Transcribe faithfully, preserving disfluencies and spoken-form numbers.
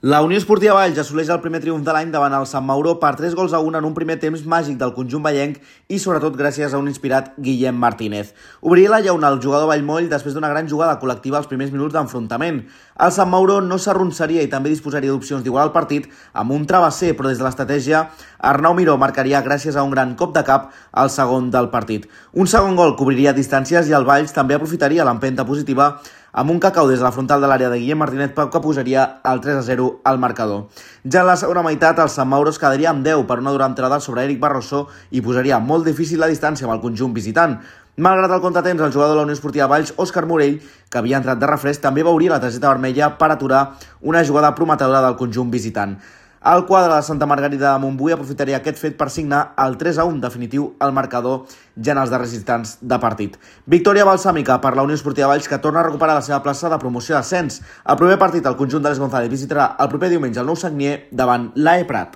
La Unió Esportiva Valls assoleix el primer triomf de l'any davant el Sant Mauro per tres gols a un en un primer temps màgic del conjunt vallenc i sobretot gràcies a un inspirat Guillem Martínez. Obriria la llauna el jugador Vallmoll després d'una gran jugada col·lectiva als primers minuts d'enfrontament. El Sant Mauro no s'arronsaria i també disposaria d'opcions d'igualar el partit amb un travesser, però des de l'estratègia Arnau Miró marcaria gràcies a un gran cop de cap al segon del partit. Un segon gol cobriria distàncies i el Valls també aprofitaria l'empenta positiva amb un cacau des de la frontal de l'àrea de Guillem Martínez que posaria el tres a zero al marcador. Ja en la segona meitat, el Sant Mauro es quedaria amb deu per una dura entrada sobre Eric Barroso i posaria molt difícil la distància amb el conjunt visitant. Malgrat el contratemps, el jugador de la Unió Esportiva Valls, Òscar Morell, que havia entrat de refresc, també veuria la targeta vermella per aturar una jugada prometedora del conjunt visitant. El quadre de Santa Margarida de Montbui aprofitaria aquest fet per signar el tres a un definitiu al marcador ja en els darrers instants de partit. Victòria balsàmica per la Unió Esportiva Valls, que torna a recuperar la seva plaça de promoció d'ascens. El proper partit, el conjunt de Les González visitarà el proper diumenge el Nou Sagnier davant l'A E Prat.